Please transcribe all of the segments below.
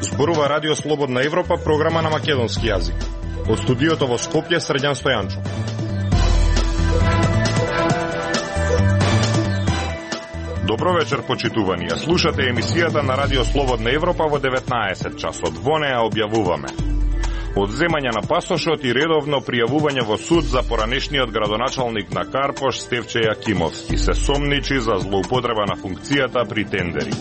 Зборува Радио Слободна Европа, програма на македонски јазик. Од студиото во Скопје, Срđan Стојанчов. Добро вечер, почитувани. Слушате емисијата на Радио Слободна Европа во 19 часот. Во неа објавуваме одземање на пасошот и редовно пријавување во суд за поранешниот градоначалник на Карпош Стефче Јакимовски. Се сомничи за злоупотреба на функцијата при тендери.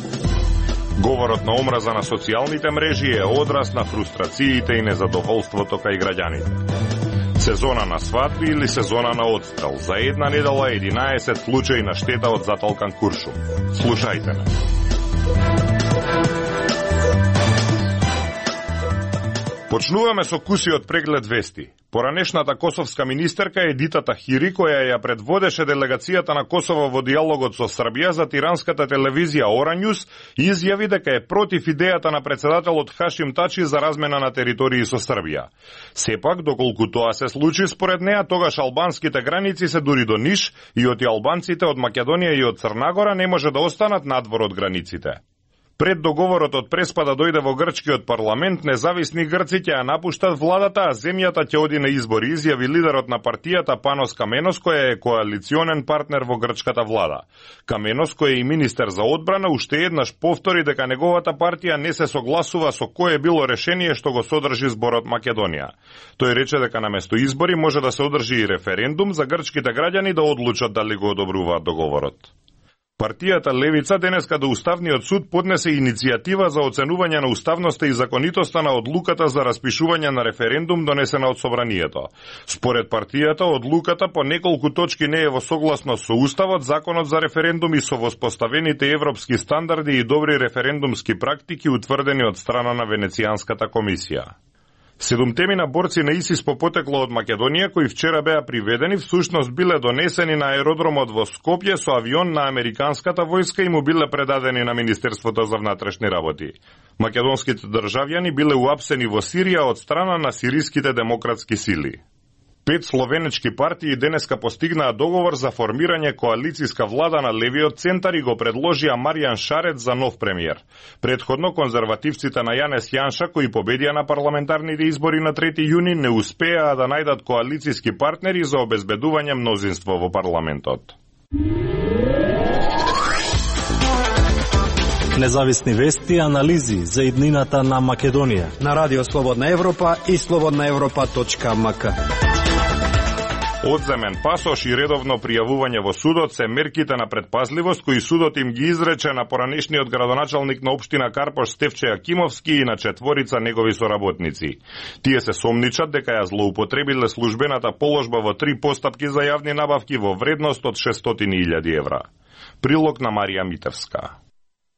Говорот на омраза на социјалните мрежи е одраз на фрустрациите и незадоволството кај граѓаните. Сезона на свадби или сезона на одстрел. За една недела 11 случаи на штета од затолкан куршум. Слушајте ме. Почнуваме со кусиот преглед вести. Поранешната косовска министерка Едита Тахири, која ја предводеше делегацијата на Косово во диалогот со Србија за тиранската телевизија Оранјус, изјави дека е против идејата на председателот Хашим Тачи за размена на територии со Србија. Сепак, доколку тоа се случи според неа, тогаш албанските граници се дури до Ниш и оти албанците од Македонија и од Црнагора не може да останат надвор од границите. Пред договорот од Преспа да дојде во грчкиот парламент, независни грци ќе ја напуштат владата, а земјата ќе оди на избори, изјави лидерот на партијата Панос Каменос, која е коалиционен партнер во грчката влада. Каменос, кој е и министер за одбрана, уште еднаш повтори дека неговата партија не се согласува со кое било решение што го содржи зборот Македонија. Тој рече дека наместо избори може да се одржи и референдум за грчките граѓани да одлучат дали го одобруваат договорот. Партијата Левица денеска до Уставниот суд поднесе иницијатива за оценување на уставноста и законитоста на одлуката за распишување на референдум донесена од Собранието. Според партијата, одлуката по неколку точки не е во согласност со Уставот, Законот за референдум и со воспоставените европски стандарди и добри референдумски практики утврдени од страна на Венецијанската комисија. 7 борци на ИСИС по потекло од Македонија, кои вчера беа приведени, всушност биле донесени на аеродромот во Скопје со авион на американската војска и му биле предадени на Министерството за внатрешни работи. Македонските државјани биле уапсени во Сирија од страна на сириските демократски сили. 5 словенечки партии денеска постигнаа договор за формирање коалицијска влада на левиот центар и го предложија Маријан Шарец за нов премиер. Предходно конзервативците на Јанес Јанша, кои победија на парламентарните избори на 3 јуни, не успеаа да најдат коалицијски партнери за обезбедување мнозинство во парламентот. Независни вести и анализи за иднината на Македонија на Радио Слободна Европа и slobodnaevropa.mk. Одземен пасош и редовно пријавување во судот се мерките на предпазливост кои судот им ги изрече на поранешниот градоначалник на општина Карпош Стефче Јакимовски и на 4 негови соработници. Тие се сомничат дека ја злоупотребиле службената положба во 3 постапки за јавни набавки во вредност од 600.000 евра. Прилог на Марија Митевска.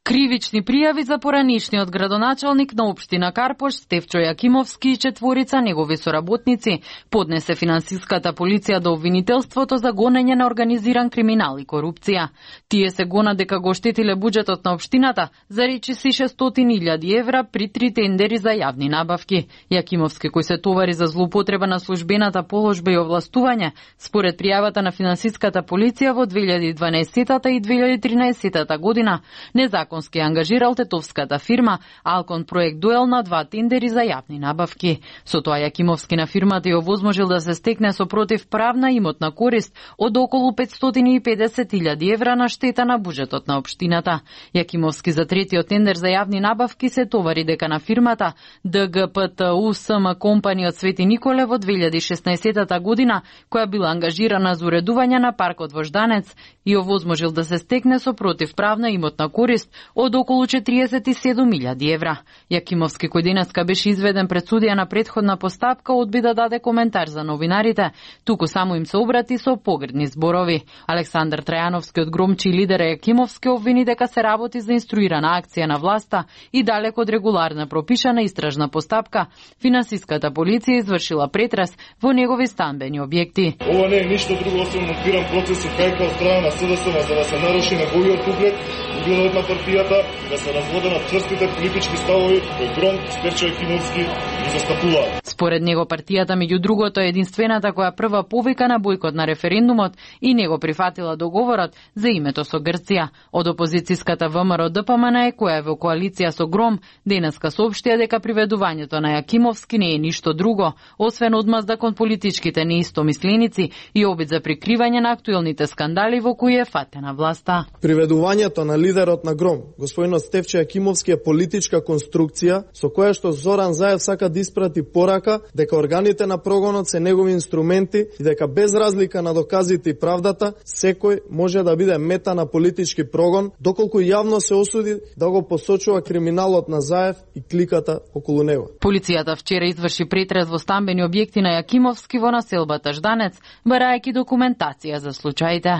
Кривични пријави за поранешниот градоначалник на општина Карпош Стефчо Јакимовски и 4 негови соработници поднесе финансиската полиција до обвинителството за гонење на организиран криминал и корупција. Тие се гона дека го штетиле буџетот на општината за речиси 600.000 евра при 3 тендери за јавни набавки. Јакимовски, кој се товари за злоупотреба на службената положба и овластување, според пријавата на финансиската полиција во 2012 и 2013 година, незаконски ангажирал тетовската фирма Алкон Проект Дуел на 2 тендери за јавни набавки. Со тоа Јакимовски на фирмата ја овозможил да се стекне со противправна имотна корист од околу 550.000 евра на штета на буџетот на општината. Јакимовски за третиот тендер за јавни набавки се товари дека на фирмата ДГПТУ СМ компани од Свети Николе во 2016 година, која била ангажирана за уредување на паркот во Жданец и овозможил да се стекне со противправна имотна корист од околу 47.000 евра. Јакимовски, кој денеска беше изведен пред судија на претходна постапка, одби да даде коментар за новинарите, туку само им се обрати со погредни зборови. Александар Трајановски од Громчи и лидера Јакимовски обвини дека се работи за инструирана акција на власта и далеко од регуларна пропишана истражна постапка, финансиската полиција извршила претрес во негови станбени објекти. Ова не е ништо друго освен монтиран процес и кајка од страна на СДСМ за да се наруши неговиот углед, угледот на партијата и да се разводенат чврстите политички ставови кои Громк, Стефчо Јакимовски ги застапуваат. Според него партијата меѓу другото е единствената која прва повика на бојкот на референдумот и не го прифатила договорот за името со Грција. Од опозицијската ВМРО ДПМН која е во коалиција со ГРОМ денеска соопштија дека приведувањето на Јакимовски не е ништо друго, освен одмазда кон политичките неистомисленици и обид за прикривање на актуелните скандали во кои е фатена власта. Приведувањето на лидерот на ГРОМ, господинот Стефчо Јакимовски, е политичка конструкција со која што Зоран Заев сака да испрати порака дека органите на прогонот се негови инструменти и дека без разлика на доказите и правдата, секој може да биде мета на политички прогон, доколку јавно се осуди да го посочува криминалот на Заев и кликата околу него. Полицијата вчера изврши претрес во стамбени објекти на Јакимовски во населбата Жданец, барајќи документација за случаите.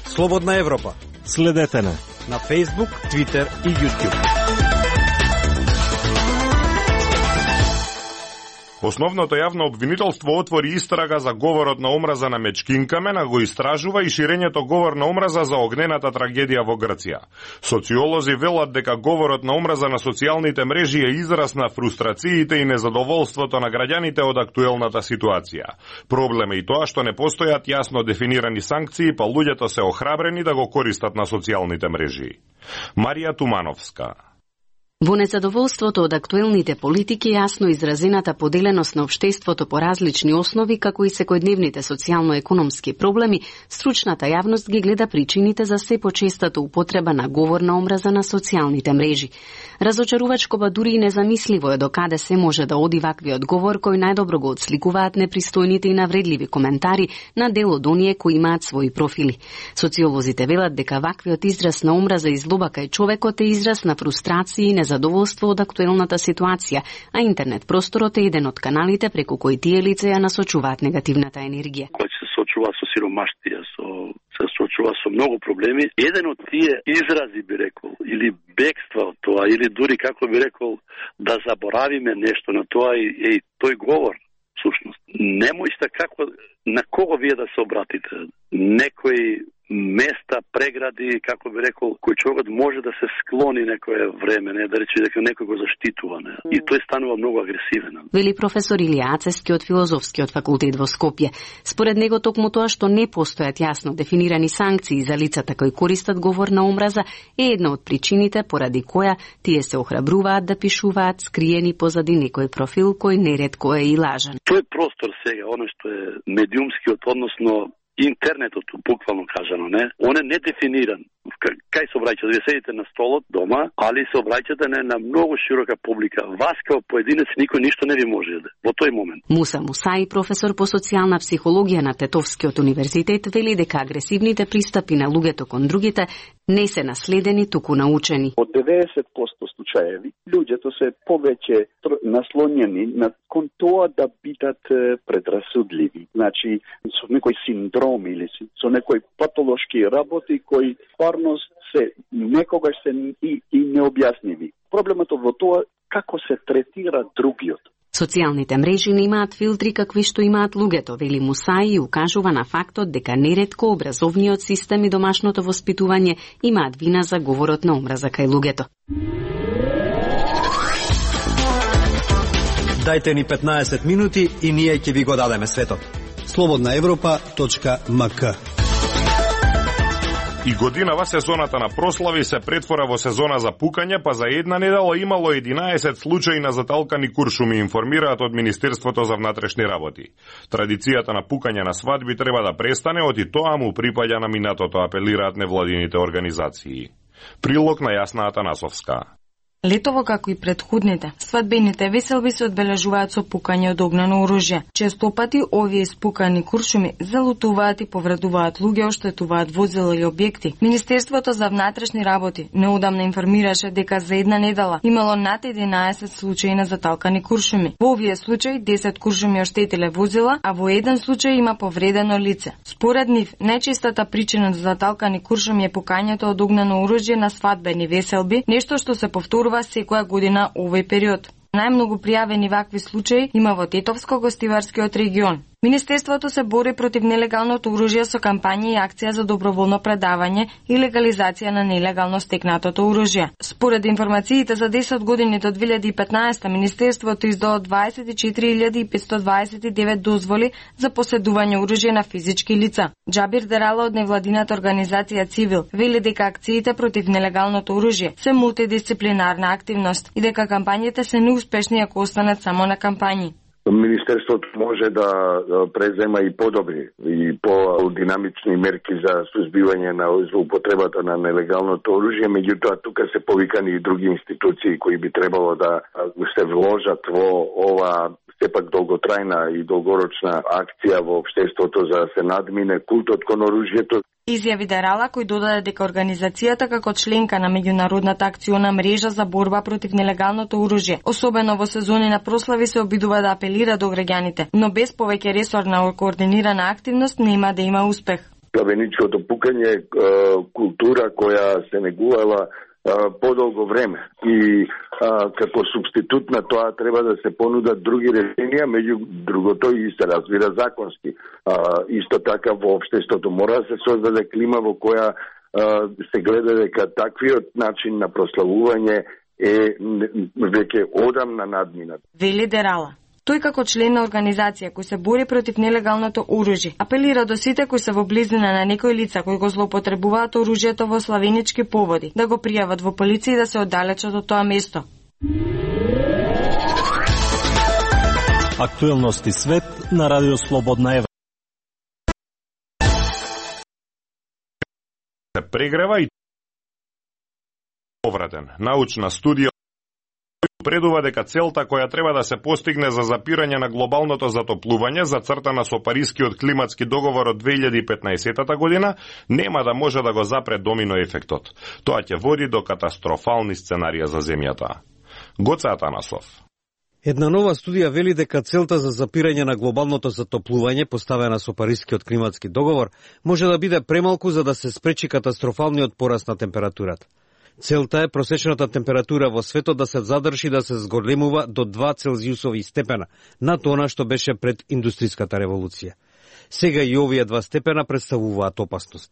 Слободна Европа. Следете на Facebook, Twitter и YouTube. Основното јавно обвинителство отвори истрага за говорот на омраза на Мечкинкамен, а го истражува и ширењето говор на омраза за огнената трагедија во Грција. Социолози велат дека говорот на омраза на социјалните мрежи е израз на фрустрациите и незадоволството на граѓаните од актуелната ситуација. Проблем е и тоа што не постојат јасно дефинирани санкции, па луѓето се охрабрени да го користат на социјалните мрежи. Марија Тумановска. Во незадоволството од актуелните политики јасно изразената поделеност на општеството по различни основи, како и секојдневните социјално-економски проблеми, стручната јавност ги гледа причините за се почестата употреба на говор на омраза на социјалните мрежи. Разочарувачко, ба дури и незамисливо е докаде се може да оди ваквиот говор кој најдобро го отсликуваат непристојните и навредливи коментари на дел од оние кои имаат своји профили. Социолозите велат дека ваквиот израз на омраза и злоба кај човекот е израз на фрустрација и задоволство од актуелната ситуација, а интернет просторот е еден од каналите преку кои тие лица ја насочуваат негативната енергија. Кој се сочува со сиромаштија, се сочува со многу проблеми. Еден од тие изрази, би рекол, или бегства од тоа, или дури, како би рекол, да заборавиме нешто на тоа и тој говор, всушност. Немојте како, на кого вие да се обратите. Некој места, прегради, како би рекол, кој човекот може да се склони некое време, не да рече дека некој го заштитува, не. И тој станува многу агресивен. Вели професор Илија Ацевски од Филозофскиот факултет во Скопје. Според него токму тоа што не постојат јасно дефинирани санкции за лицата кои користат говор на омраза е една од причините поради која тие се охрабруваат да пишуваат скриени позади некој профил кој неретко е и лажен. Тој простор сега, оно што е медиумскиот, односно интернетот, буквално кажано, не? Он е недефиниран. Кај се обраќате? Вие седите на столот дома, али се обраќате на многу широка публика. Вас као поединец никој ништо не ви може да во тој момент. Муса Мусаи, професор по социјална психологија на Тетовскиот универзитет, вели дека агресивните пристапи на луѓето кон другите не се наследени, туку научени. Од 90% случаеви, луѓето се повеќе наслонjeni на кон тоа да бидат предрасудливи. Значи, со некој синдром или со некој патолошки работи кои парност се некогаш се и необјасниви. Проблемот во тоа како се третира другиот. Социјалните мрежи не имаат филтри какви што имаат луѓето, вели Мусаи и укажува на фактот дека неретко образовниот систем и домашното воспитување имаат вина за говорот на омраза кај луѓето. Дајте ни 15 минути и ние ќе ви го дадеме светот. slobodnaevropa.mk. И годинава сезоната на прослави се претвора во сезона за пукање, па за една недела имало 11 случаи на заталкани куршуми, информираат од Министерството за внатрешни работи. Традицијата на пукање на свадби треба да престане, од и тоа му припаѓа на минатото, апелираат невладините организации. Прилог на Јасна Атанасовска. Летово, како и предходните, свадбените веселби се одбележуваат со пукање од огнено оружје. Често пати овие испукани куршуми залутуваат и повредуваат луѓе, оштетуваат возила и објекти. Министерството за внатрешни работи неодамна информираше дека за една недела имало над 11 случаи на заталкани куршуми. Во овие случаи 10 куршуми оштетиле возила, а во еден случај има повредено лице. Според нив, најчестата причина за заталкани куршуми е пукањето од огнено оружје на свадбени веселби, нешто што се повторува секоја година овој период. Најмногу пријавени вакви случаи има во Тетовско-Гостиварскиот регион. Министерството се бори против нелегалното оружје со кампања и акција за доброволно предавање и легализација на нелегално стекнатото оружје. Според информациите за 10 години до 2015, Министерството издало 24.529 дозволи за поседување оружје на физички лица. Џабир Дерала од невладината организација Цивил вели дека акциите против нелегалното оружје се мултидисциплинарна активност и дека кампањите се неуспешни ако останат само на кампањи. Министерството може да презема и подобри и по-динамични мерки за сузбивање на злоупотребата на нелегалното оружје, меѓутоа тука се повикани и други институции кои би требало да се вложат во ова сепак долготрајна и долгорочна акција во општеството за да се надмине култот кон оружјето. Изјави Дерала, кој додаде дека организацијата како членка на меѓународната акциона мрежа за борба против нелегалното оружје, особено во сезони на прослави, се обидува да апелира до граѓаните, но без повеќе ресорна координирана активност нема да има успех. Плавеничкото пукање е култура која се негувала подолго време и како субститут на тоа треба да се понудат други решенија, меѓу другото и се разбира законски. Исто така во општеството мора да се создаде клима во која се гледа дека таквиот начин на прославување е веќе одамна надминат. Вели Дерала. Тој како член на организација кој се бори против нелегалното оружје, апелира до сите кои се во близина на некои лица кои го злоупотребуваат оружјето во славенички поводи, да го пријават во полиција и да се оддалечат од тоа место. Актуелности свет на Радио Слободна Европа. Се прегрева и повратен. Научна студија предува дека целта која треба да се постигне за запирање на глобалното затоплување, зацртана со Парискиот климатски договор од 2015 година, нема да може да го запре домино ефектот. Тоа ќе води до катастрофални сценарија за земјата. Гоце Атанасов. Една нова студија вели дека целта за запирање на глобалното затоплување, поставена со Парискиот климатски договор, може да биде премалку за да се спречи катастрофалниот пораст на температурата. Целта е просечната температура во светот да се задржи да се зголемува до 2 целзиусови степена, над она што беше пред индустриската револуција. Сега и овие 2 степена представуваат опасност.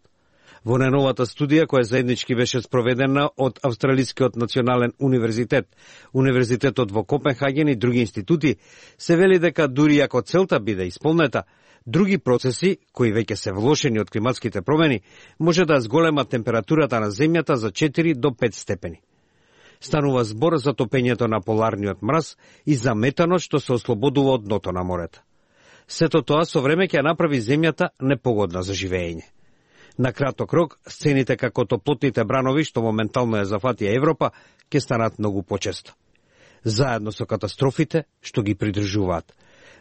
Во најновата студија, која заеднички беше спроведена од Австралискиот национален универзитет, Универзитетот во Копенхаген и други институти, се вели дека дури ако целта биде исполнета, други процеси, кои веќе се влошени од климатските промени, може да зголемат температурата на земјата за 4 до 5 степени. Станува збор за топењето на поларниот мраз и за метанот што се ослободува од дното на морето. Сето тоа со време ќе направи земјата непогодна за живење. На краток рок, сцените како топлотните бранови, што моментално ја зафатија Европа, ќе станат многу почесто. Заедно со катастрофите што ги придржуваат.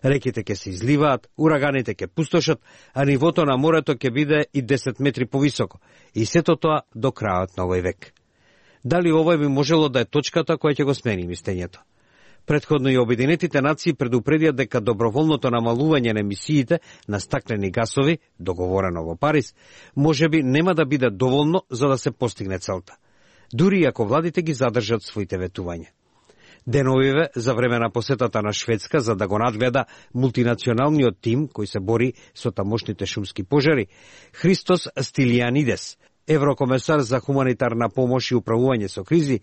Реките ќе се изливаат, ураганите ќе пустошат, а нивото на морето ќе биде и 10 метри повисоко. И сето тоа до крајот на овој век. Дали ова би можело да е точката која ќе го смени мислењето? Претходно и Обединетите нации предупредија дека доброволното намалување на емисиите на стаклени гасови, договорено во Париз, можеби нема да биде доволно за да се постигне целта, дури ако владите ги задржат своите ветувања. Деновиве за време на посетата на Шведска за да го надгледа мултинационалниот тим кој се бори со тамошните шумски пожари, Христос Стилијанидес, еврокомесар за хуманитарна помош и управување со кризи,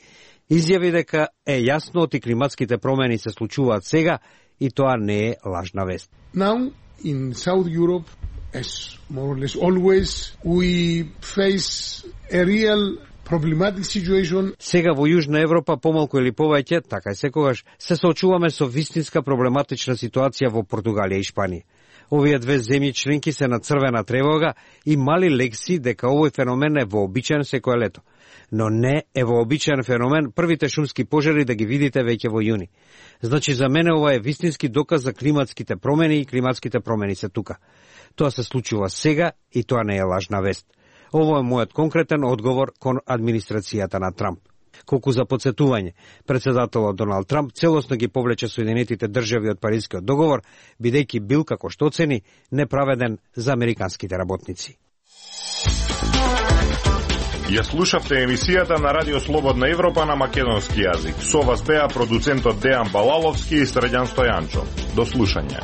изјави дека е јасно и климатските промени се случуваат сега и тоа не е лажна вест. Now in South Europe, as more or less always, we face a real problematic situation. Сега во Јужна Европа помалку или повеќе, така и секогаш, се соочуваме со вистинска проблематична ситуација во Португалија и Шпанија. Овие две земји членки се на црвена тревога и мали лекси дека овој феномен е вообичаен секое лето. Но не е вообичаен феномен првите шумски пожари да ги видите веќе во јуни. Значи за мене ова е вистински доказ за климатските промени и климатските промени се тука. Тоа се случува сега и тоа не е лажна вест. Ово е мојот конкретен одговор кон администрацијата на Трамп. Колку за подсетување, председателот Доналд Трамп целосно ги повлече Соединетите држави од Парискиот договор, бидејќи бил, како што оцени, неправеден за американските работници. Ја слушавте емисијата на Радио Слободна Европа на македонски јазик. Со вас беа продуцентот Дејан Балаловски и Средјан Стојанчо. До слушање.